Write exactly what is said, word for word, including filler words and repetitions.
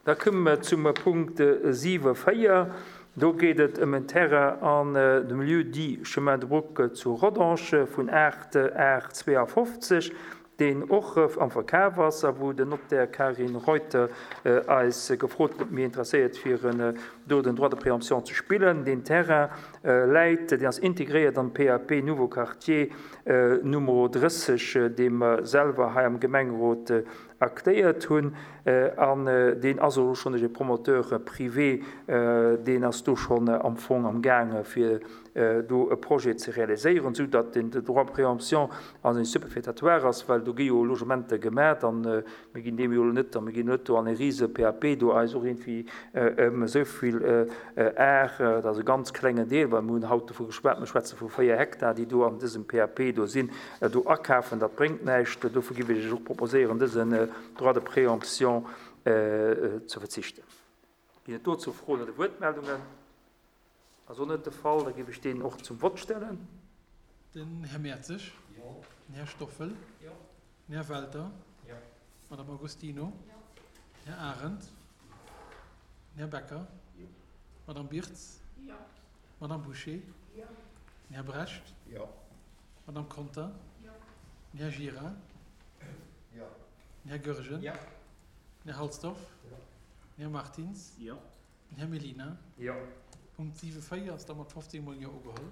Da komme mer zum Punkt siwe véier. Do geet et ëm en Terrain an dem Lieu-dit Chemin de Bruck zu Rodange vun aacht Ar zweeafofzeg, deen och am Verkaf ass a wou den Notaire Karin Reuter eis gefrot huet, ob mir interesséiert wieren, do den Droit de préemption ze spillen. Deen Terrain läit, deen ass integréiert am P A P Nouveau Quartier Numero drësseg, dee mer selwer hei am Gemengerot aktéiert hunn, an deen ass elo schonn duerch e Promoteur privé, deen ass do schonn am Fong am gaange fir do e Projet ze realiséieren, sou datt den Droit de préemption an seng superfétatoire ass, well do gi jo Logementer gemaach an mir ginn deem jo elo net, a mir ginn net do an e rise P A P do eis och iergendwéi ëm esou vill Ar, dat ass e ganz klengen Deel, well mir hunn haut dovu geschwat, mir schwätze vu véier Hektar, déi do an dësem P A P do sinn, do akafen, dat bréngt näischt. Dofir géif ech Iech och proposéieren, dësen Droit de préemption ze verzichten. Ginn et dozou Froen oder Wuertmeldungen? Ass och net de Fall, da géif ech deen och zum Vott stellen. Den Här Mertzig. Jo. Den Här Stoffel. Jo. Den Här Welter. Jo. D'Madame Agostino. Jo. Den Här Arendt. Den Här Becker. Jo. D'Madame Birtz. Jo. D'Madame Bouché. Jo. Den Här Brecht. Jo. D'Madame Conter. Jo. Den Här Gira. Jo. Den Här Goergen. Jo. Den Här Halsdorf. Jo. Den Här Martins. Jo. Den Här Mellina. Jo. Punkt siwe véier ass da mat fofzéng mol Jo ugeholl.